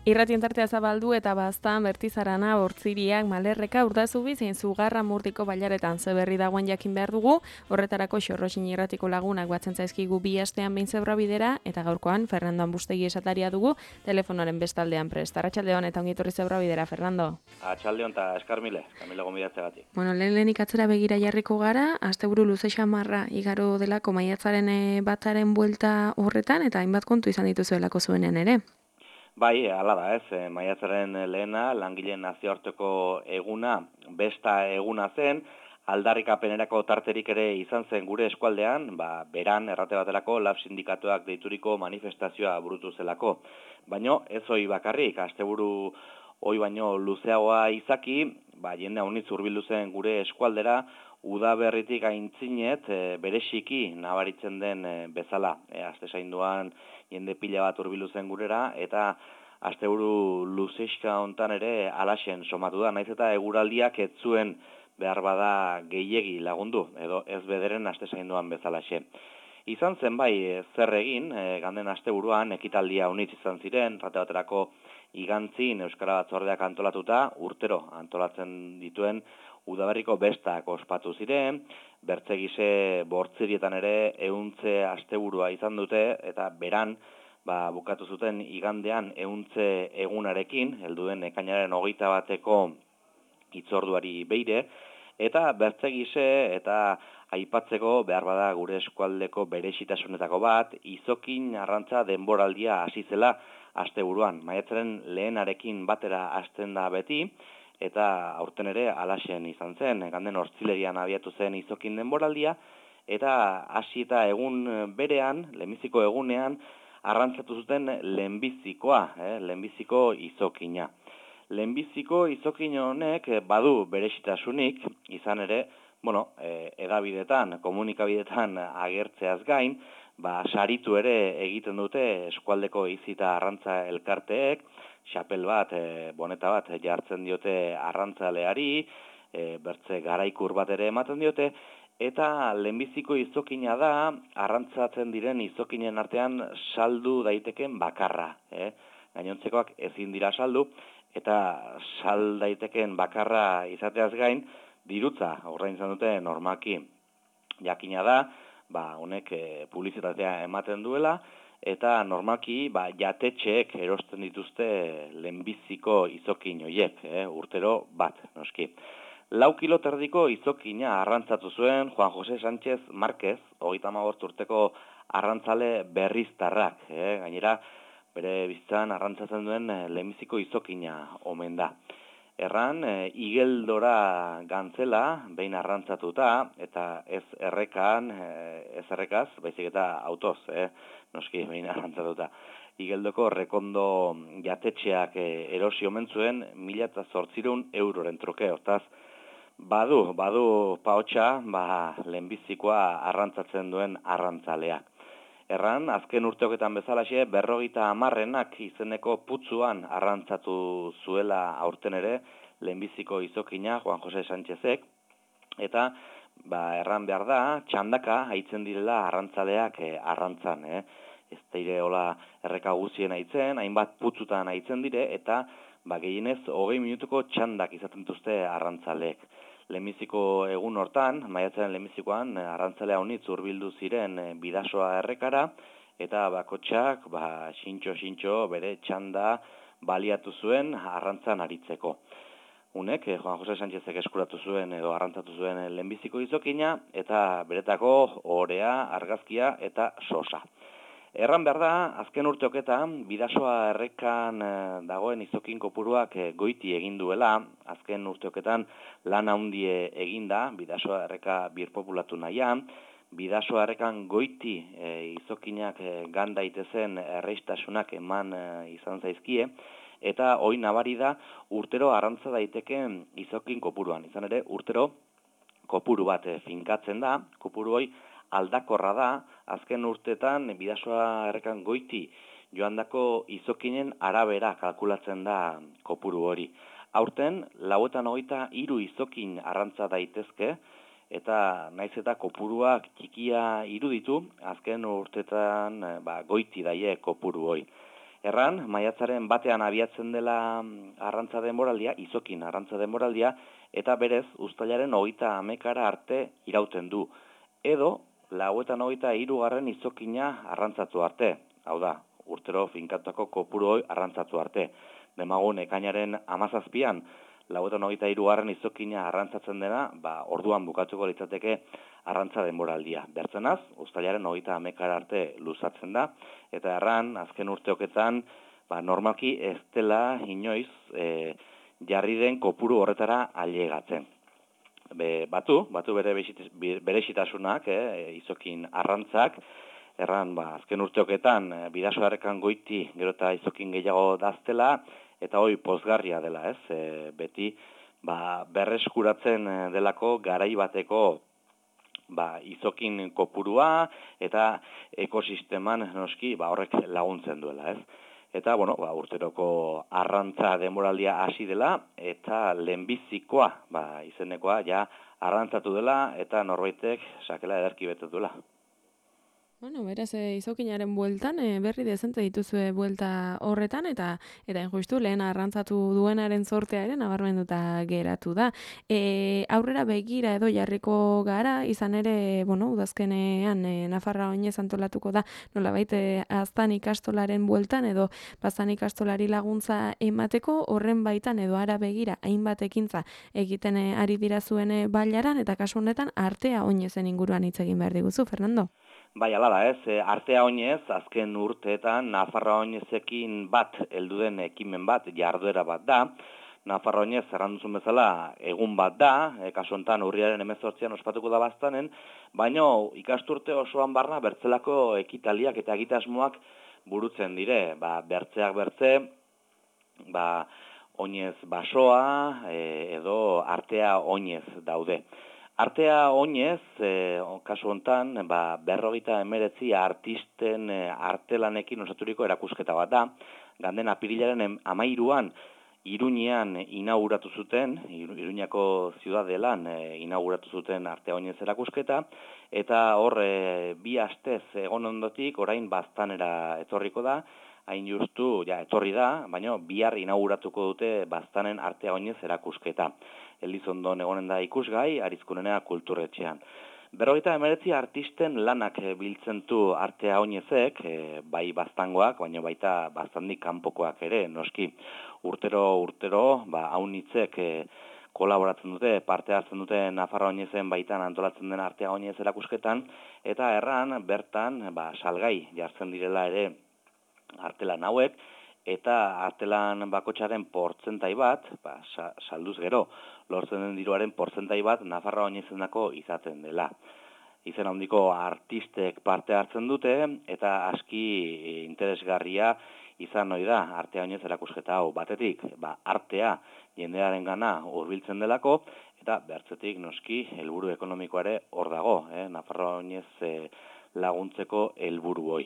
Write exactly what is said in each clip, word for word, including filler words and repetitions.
Irratien tartea zabaldu eta baztan bertizarana, Hortziriak, Malerreka, Urdazubi zein Zugarra Murtiko bailaretan zeberri dagoen jakin behar dugu, horretarako Xorroxin irratiko lagunak batzen zaizkigu bi astean behin zebra bidera, eta gaurkoan Fernando Ambustegi esataria dugu, telefonoaren bestaldean prest. Arratsaldeon eta ongi etorri zebra bidera, Fernando. Atxaldeon eta eskarmile, kamila gomidatzegatik. Bueno, lehen lehenik atzera begira jarriko gara, asteburu luze xamarra igaro delako maiatzaren bataren buelta horretan, eta hainbat kontu izan dituzuelako zuenean ere. Bai, hala da ez, maiatzaren lehena, langileen nazioarteko eguna, besta eguna zen, aldarrikapenerako tarterik ere izan zen gure eskualdean, ba, beran errate baterako lab sindikatuak deituriko manifestazioa burutu zelako. Baino, ez hoi bakarrik, asteburu hoi baino luzeagoa izaki, ba, jende haunitz hurbildu zen gure eskualdera, udaberritik aintzinet e, bereziki nabaritzen den e, bezala. E, aste zainduan jende pila bat hurbildu zen gurera, eta asteburu luzexka hontan ere alaxen somatu da, naiz eta eguraldiak ez zuen behar bada gehiegi lagundu, edo ez bederen aste zainduan bezalaxe. Izan zen bai zer egin, e, ganden asteburuan ekitaldia unitz izan ziren, rate baterako igantzin Euskara Batzordeak antolatuta, urtero antolatzen dituen udaberriko bestak ospatu ziren, bertzegise bortzirietan ere ehuntze asteburua izan dute, eta beran ba, bukatu zuten igandean ehuntze egunarekin, helduen ekainaren hogeita bateko hitzorduari beire, eta bertzegise eta aipatzeko behar bada gure eskualdeko berezitasunetako bat, izokin arrantza denboraldia hasi zela asteburuan. Maiatzaren lehenarekin batera hasten da beti, eta aurten ere alaxen izan zen, ganden Hortzilerian abiatu zen izokin denboraldia, eta hasi eta egun berean, lehenbiziko egunean, arrantzatu zuten lehenbizikoa, eh, lehenbiziko izokina. Lehenbiziko izokin honek badu berezitasunik, izan ere, bueno, e, edabidetan, komunikabidetan agertzeaz gain, ba, saritu ere egiten dute eskualdeko izita arrantza elkarteek, xapel bat, e, boneta bat jartzen diote arrantzaleari, e, bertze garaikur bat ere ematen diote, eta lehenbiziko izokina da, arrantzatzen diren izokinen artean saldu daiteken bakarra. Eh? Gainontzekoak ezin dira saldu, eta sal daiteken bakarra izateaz gain, dirutza ordaintzen dute normalki. Jakina da, ba, honek e, publizitatea ematen duela, eta normalki ba, jatetxeek erosten dituzte lehenbiziko izokin horiek, eh, urtero bat, noski. Lau kilo terdiko izokina arrantzatu zuen Juan Jose Sánchez Márquez, hogeita hamabost urteko arrantzale berriztarrak, eh, gainera bere bizitzan arrantzatzen duen lehenbiziko izokina omen da. Erran, e, igeldora gantzela, behin arrantzatuta, eta ez errekan, e, ez errekaz, baizik eta autoz, eh? Noski, behin arrantzatuta. Igeldoko rekondo jatetxeak e, erosi omen zuen, mila eta zortzireun euroren truke, hortaz, badu, badu paotxa, ba, lehenbizikoa arrantzatzen duen arrantzaleak. Erran, azken urteoketan bezalaxe, berrogeita hamarrenak izeneko putzuan arrantzatu zuela aurten ere, lehenbiziko izokina Juan Jose Sánchezek, eta ba, erran behar da, txandaka haitzen direla arrantzaleak eh, arrantzan. Eh? Ez daire hola erreka guzien haitzen, hainbat putzutan haitzen dire, eta ba, gehienez hogei minutuko txandak izaten dituzte arrantzaleek. Lehenbiziko egun hortan, maiatzaren lehenbizikoan, arrantzalea honitz hurbildu ziren bidasoa errekara, eta bakotxak, ba, xintxo-xintxo bere txanda baliatu zuen arrantzan aritzeko. Unek, Juan Jose Sánchezek eskuratu zuen edo arrantzatu zuen lehenbiziko izokina, eta beretako orea, argazkia eta sosa. Erran behar da, azken urteoketan, bidasoa errekan e, dagoen izokin kopuruak e, goiti egin duela, azken urteoketan lan handie eginda, bidasoa erreka birpopulatu nahian, bidasoa errekan goiti e, izokinak e, gan daitezen erreistasunak eman e, izan zaizkie, eta hoi nabari da urtero arrantza daiteken izokin kopuruan. Izan ere, urtero kopuru bat e, finkatzen da, kopuru hoi aldakorra da, azken urteetan bidasoa errekan goiti joandako izokinen arabera kalkulatzen da kopuru hori. Aurten, lauetan hogeita hiru izokin arrantza daitezke, eta naiz eta kopuruak txikia iruditu, azken urteetan ba, goiti daie kopuru hori. Erran, maiatzaren batean abiatzen dela arrantza denboraldia, izokin arrantza denboraldia, eta berez, uztailaren hogeita hamekara arte irauten du. Edo, lauetan hogeita hirugarren izokina arrantzatu arte. Hau da, urtero finkatutako kopuru hoi arrantzatu arte. Demagun, ekainaren hamazazpian, lauetan hogeita hirugarren izokina arrantzatzen dena, ba, orduan bukatuko litzateke arrantza denboraldia. Bertzenaz, uztailaren hogeita hamekara arte luzatzen da, eta erran, azken urteoketan, ba, normalki ez dela inoiz e, jarri den kopuru horretara ailegatzen. Be, batu, batu bere berezitasunak, eh, izokin arrantzak, erran, ba, azken urteoketan, bidasoarrekan goiti gero eta izokin gehiago daztela, eta hoi pozgarria dela, ez, e, beti, ba, berreskuratzen delako garai bateko ba, izokin kopurua eta ekosisteman noski ba, horrek laguntzen duela, ez? Eta, bueno, ba, urteroko arrantza denboraldia hasi dela eta lehenbizikoa, ba, izenekoa, ja arrantzatu dela eta norbaitek sakela ederki betet duela. Bueno, beraz, e, izokinaren bueltan, e, berri dezente dituzue buelta horretan, eta eta injustu lehen arrantzatu duenaren sortea ere nabarmenduta geratu da. E, aurrera begira edo jarriko gara, izan ere, bueno, udazkenean e, Nafarra oinez antolatuko da, nolabait e, aztan ikastolaren bueltan, edo baztan ikastolari laguntza emateko, horren baitan edo ara begira, hainbat ekintza egiten e, ari dira zuen e, bailaran, eta kasu honetan artea oinezen inguruan hitz egin behar diguzu, Fernando? Bai, ala da, ez, artea oinez, azken urteetan Nafarra oinezekin bat, heldu den ekimen bat, jarduera bat da. Nafarra oinez, erranduzun bezala, egun bat da, e, kasu honetan urriaren hemezortzian ospatuko da baztanen, baina ikasturte osoan barna bertzelako ekitaliak eta egitasmoak burutzen dire, ba, bertzeak bertze, ba, oinez basoa, e, edo artea oinez daude. Artea oinez, e, kasu hontan, ba, berrogeita emeretzi artisten e, artelanekin osaturiko erakusketa bat da. Ganden apirilaren amairuan, Iruñean inauguratu zuten, Iruñako ziudadelan e, inauguratu zuten artea oinez erakusketa, eta hor e, bi astez egon ondotik, orain baztanera etorriko da, hain justu, ja, etorri da, baina bihar inauguratuko dute baztanen artea oinez erakusketa. Elizondon egonen da ikusgai, Arizkunenea kulturretxean. Berrogeita emeretzi artisten lanak biltzen du artea oinezek, e, bai baztangoak, baina baita baztandik kanpokoak ere, noski urtero, urtero, ba, haunitzek e, kolaboratzen dute, parte hartzen dute Nafarra oinezen baitan antolatzen den artea oinez erakusketan, eta erran bertan ba, salgai jartzen direla ere artelan hauek, eta artelan bakotxaren portzentai bat, ba, salduz gero, lortzen den diruaren portzentai bat Nafarra oinezendako izaten dela. Izen handiko artistek parte hartzen dute, eta aski interesgarria izan ohi da artea oinez erakusketa hau. Batetik, ba, artea jendearen gana hurbiltzen delako, eta bertzetik noski helburu ekonomikoare hor dago, eh? Nafarra oinez eh, laguntzeko helburu hoi.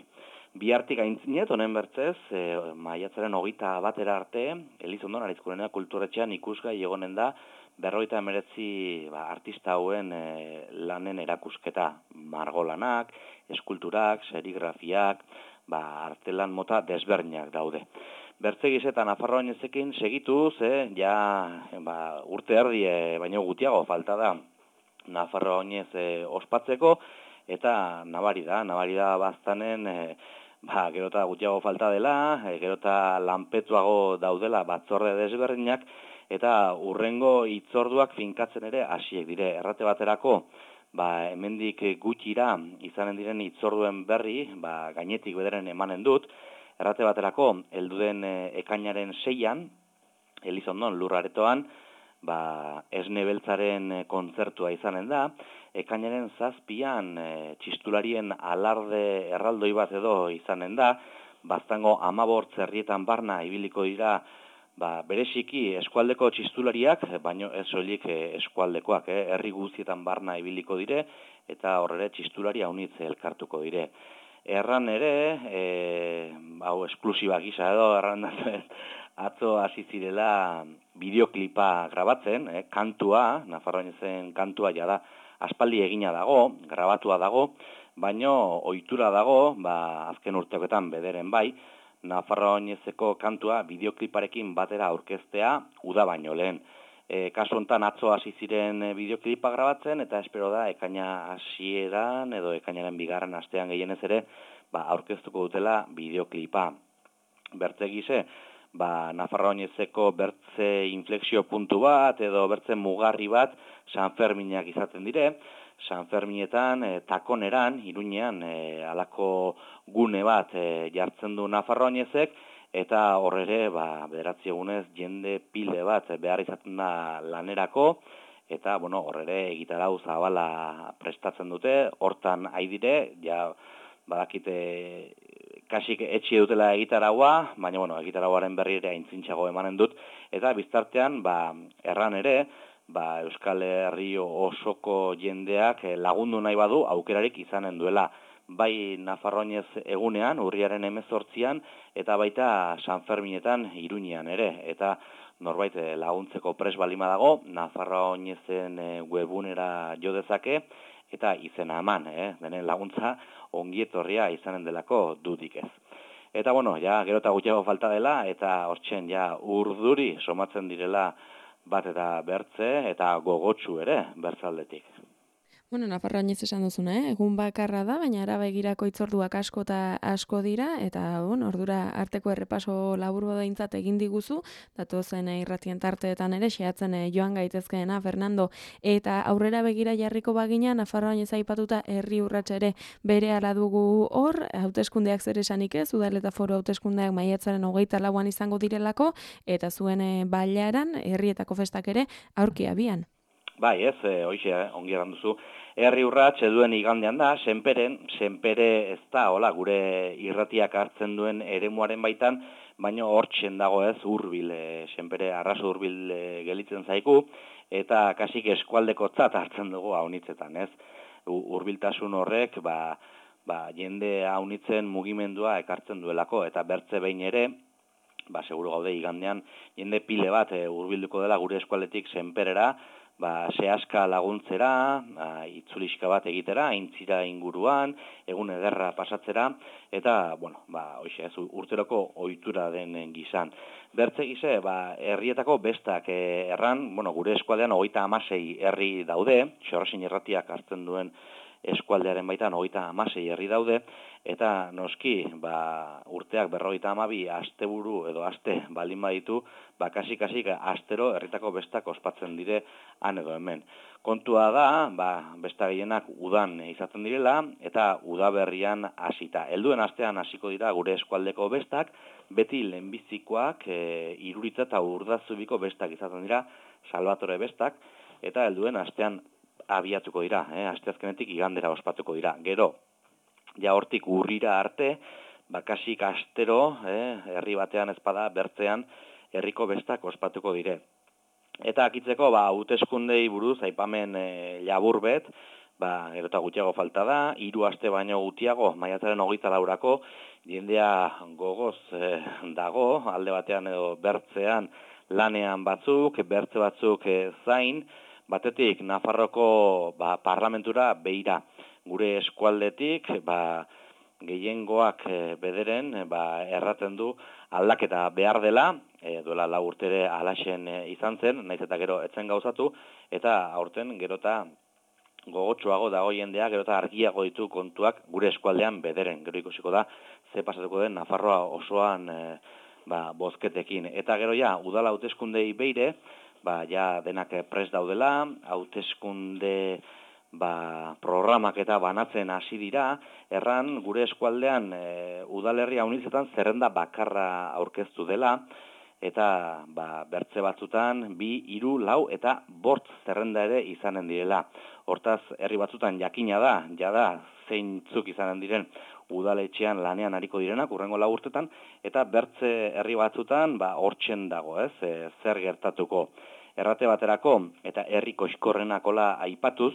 Bihartik aintzinet, honen bertzez, e, maiatzaren hogeita batera arte, Elizondon Arizkunenea kulturretxean ikusgai egonen da, berrogeita emeretzi ba, artista hauen e, lanen erakusketa, margolanak, eskulturak, serigrafiak, ba, artelan mota desberdinak daude. Bertzegiz eta Nafarroa oinezekin segituz, eh, ja ba, urte erdi, e, baino gutiago falta da Nafarroa oinez e, ospatzeko, eta nabari da, nabari da baztanen, e, ba, gero eta gutiago falta dela, e, gero eta lanpetuago daudela batzorde desberdinak, eta urrengo hitzorduak finkatzen ere hasiek dire. Errate baterako, ba, hemendik gutxira izanen diren hitzorduen berri, ba, gainetik bederen emanen dut, errate baterako, helduden e, ekainaren seian, Elizondon lurraretoan, ba, esne beltzaren kontzertua izanen da, ekainaren zazpian e, txistularien alarde erraldoi bat edo izanen da, baztango amabort zerrietan barna ibiliko dira, ba, bereziki eskualdeko txistulariak, baino ez soilik eskualdekoak, eh, herri guztietan barna ibiliko dire, eta horre txistulari haunitz elkartuko dire. Erran ere, e, hau esklusiba gisa edo, erran atzo hasi zirela bideoklipa grabatzen, eh, kantua, Nafarroa oinezen kantua jada, aspaldi egina dago, grabatua dago, baino ohitura dago, ba, azken urteoketan bederen bai, Nafarroa Oinezeko kantua bideokliparekin batera aurkeztea uda baino lehen. E, kasu honetan atzo hasi ziren bideoklipa grabatzen eta espero da ekaina hasieran edo ekainaren bigarren astean gehienez ere ba, aurkeztuko dutela bideoklipa. Bertze gise, ba, Nafarroa Oinezeko bertze inflexio puntu bat edo bertze mugarri bat San Ferminak izaten dire. San Ferminetan, e, takoneran, Iruñean, e, alako gune bat e, jartzen du Nafarroa Oinezek, eta horre, ba, bederatzi egunez, jende pile bat behar izaten da lanerako, eta, bueno, horre, egitarau zabala prestatzen dute, hortan haidire, ja, badakite, kasik etxi dutela egitaraua, baina, bueno, egitarauaren berri ere aintzintxago emanen dut, eta biztartean, ba, erran ere, ba, Euskal Herri osoko jendeak lagundu nahi badu aukerarik izanen duela. Bai Nafarroa Oinez egunean, urriaren hemezortzian, eta baita San Ferminetan Iruñean ere. Eta norbait laguntzeko pres balima dago, Nafarroa Oinezen webunera jo dezake, eta izena eman, eh? Denen laguntza ongietorria izanen delako dudik ez. Eta bueno, ja, gero eta gutxiago falta dela, eta hortzen ja urduri somatzen direla bat eta bertze eta gogotsu ere bertzaldetik. Bueno, Nafarroa Oinez esan duzuna, eh? Egun bakarra da, baina ara begirako itzorduak asko eta asko dira, eta bon, ordura arteko errepaso labur behintzat egin diguzu, datozen irratien tarteetan ere, xeatzen joan gaitezkeena, Fernando, eta aurrera begira jarriko bagina, Nafarroa Oinez aipatuta herri urratsa ere bere ala dugu hor, hauteskundeak zer esanik ez, udal eta foru hauteskundeak maiatzaren hogeita lauan izango direlako, eta zuen bailaran, herrietako festak ere, aurki abian. Bai, ez, e, hoxe, eh, ongi eran duzu. Herri urrats eduen igandean da, senperen, senpere ez da, hola, gure irratiak hartzen duen eremuaren baitan, baina hortzen dago ez, hurbil, e, senpere arraso hurbil e, gelitzen zaiku, eta kasik eskualdeko tzat hartzen dugu haunitzetan, ez. Hurbiltasun horrek, ba, ba, jende haunitzen mugimendua ekartzen duelako, eta bertze behin ere, ba, seguru gaude igandean, jende pile bat e, hurbilduko dela gure eskualdetik senperera, ba, sehaska laguntzera, ba, itzuliska bat egitera, aintzira inguruan, egun ederra pasatzera, eta, bueno, ba, hoxe, ez, urteroko ohitura den gizan. Bertze gize, ba, herrietako bestak e, erran, bueno, gure eskualdean hogeita hamasei herri daude, Xorrosin irratiak hartzen duen eskualdearen baitan hogeita hamasei herri daude, eta noski, ba, urteak berrogeita hamabi asteburu edo aste baldin baditu, ba, kasik-kasik astero herritako bestak ospatzen dire han edo hemen. Kontua da, ba, besta gehienak udan izaten direla, eta udaberrian hasita. Helduen astean hasiko dira gure eskualdeko bestak, beti lehenbizikoak e, Iruritza eta Urdazubiko bestak izaten dira, Salvatore bestak, eta helduen astean abiatuko dira, eh? Asteazkenetik igandera ospatuko dira. Gero, ja hortik urrira arte, bakasik astero, eh? herri batean ezpada, bertzean, herriko bestak ospatuko dire. Eta akitzeko, ba, hauteskundei buruz, aipamen e, labur bet, ba, gero eta gutxiago falta da, hiru aste baino gutxiago, maiatzaren hogeita laurako, jendea gogoz e, dago, alde batean edo bertzean lanean batzuk, bertze batzuk e, zain, batetik Nafarroko ba, parlamentura beira, gure eskualdetik, ba, gehiengoak e, bederen ba, erraten du aldaketa behar dela, e, duela lau urtere alaxen e, izan zen, naiz eta gero etzen gauzatu, eta aurten gero eta gogotsuago dago jendea, gero eta argiago ditu kontuak gure eskualdean bederen, gero ikusiko da, ze pasatuko den Nafarroa osoan e, ba, bozketekin. Eta gero ja, udala hauteskundei beire, ba, ja denak prest daudela, hauteskunde ba, programak eta banatzen hasi dira, erran gure eskualdean e, udalerria unizetan zerrenda bakarra aurkeztu dela, eta ba, bertze batzutan bi, hiru, lau eta bort zerrenda ere izanen direla. Hortaz, herri batzutan jakina da, jada zeintzuk izanen diren udaletxean lanean ariko direnak, urrengo lau urtetan, eta bertze herri batzutan ba, hortzen dago, ez, e, zer gertatuko. Errate baterako eta herri koxkorrenakola aipatuz,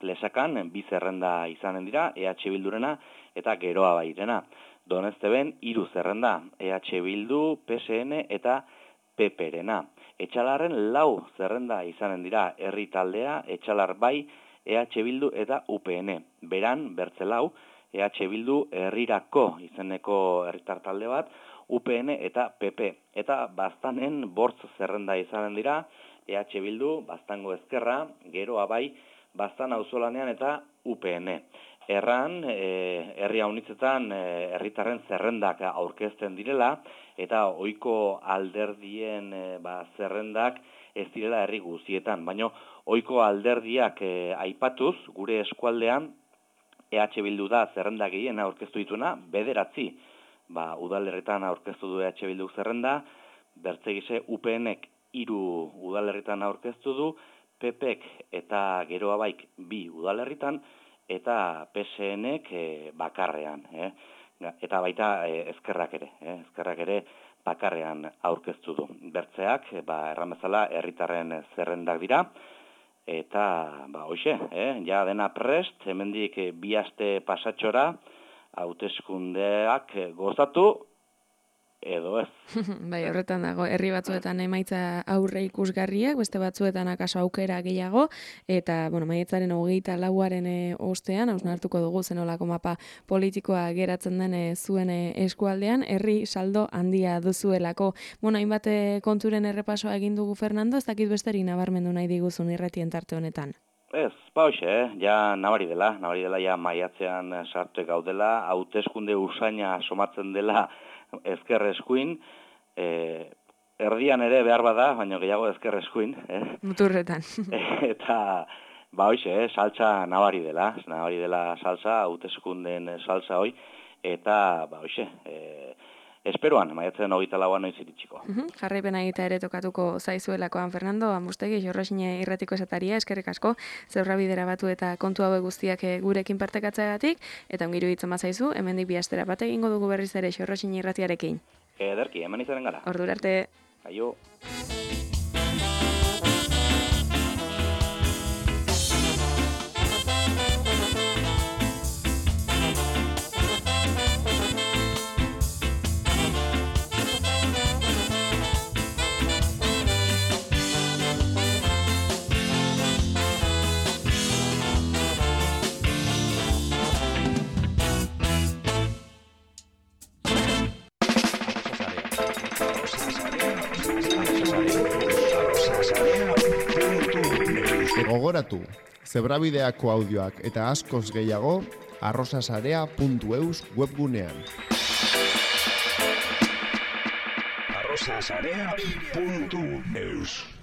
Lesakan bi zerrenda izanen dira, E H Bildurena eta Geroa Bairena. Donezteben hiru zerrenda, E H Bildu, P S N eta P P-rena. Etxalarren lau zerrenda izanen dira, herri taldea, Etxalar bai, E H Bildu eta U P N. Beran, bertze lau, E H Bildu herrirako izeneko herritar talde bat, U P N eta P P. Eta baztanen bortz zerrenda izanen dira, E H Bildu, Baztango Ezkerra, Geroa bai, Baztan auzolanean eta U P N. Erran, e, herri haunitzetan herritarren zerrendak aurkezten direla, eta ohiko alderdien e, ba, zerrendak ez direla herri guztietan. Baina ohiko alderdiak e, aipatuz, gure eskualdean, E H Bildu da zerrenda gehien aurkeztu dituena, bederatzi. Ba, udalerritan aurkeztu du E H Bildu zerrenda, bertzegise U PNek hiru udalerritan aurkeztu du, P Pek eta Geroa baik bi udalerritan, eta P S Nek e, bakarrean. Eh? Eta baita e, ezkerrak ere, eh? ezkerrak ere bakarrean aurkeztu du. Bertzeak, ba, erran bezala, herritarren zerrendak dira, eta, ba, hoxe, eh? ja dena prest, hemendik e, bi aste pasatxora, hauteskundeak gozatu, edo ez. Bai, horretan dago, herri batzuetan emaitza aurre ikusgarriak, beste batzuetan akaso aukera gehiago, eta, bueno, maietzaren hogeita lauaren e, ostean, hausnartuko dugu zenolako mapa politikoa geratzen den e, zuen e, eskualdean, herri saldo handia duzuelako. Bueno, hainbat e, konturen errepasoa egin dugu Fernando, ez dakit besterik nabarmendu nahi diguzun irratien tarte honetan. Ez, ba hoxe, eh? ja nabari dela, nabari dela ja maiatzean sartu gaudela, hauteskunde usaina somatzen dela ezker eskuin, eh, erdian ere behar bada, baina gehiago ezker eskuin. Eh? Muturretan. Eta, ba hoxe, eh? saltza nabari dela, nabari dela saltza, hauteskunden saltza hoi, eta, ba hoxe, eh, esperoan, maiatzen hogeita lauan noiz iritsiko. Uh-huh. Jarraipena egita ere tokatuko zaizuelakoan, Fernando, Amustegi, Jorrosine irratiko esataria, eskerrik asko, zeurra bidera batu eta kontu hauek guztiak gurekin partekatzeagatik, eta ongiru hitzen bazaizu, hemendik bi astera bat egingo dugu berriz ere Jorrosine irratiarekin. Ederki, hemen izanen gara. Ordura arte. Aio. Gogoratu, zebrabideako audioak eta askoz gehiago arrosasarea puntu eus webgunean. arrosasarea puntu eus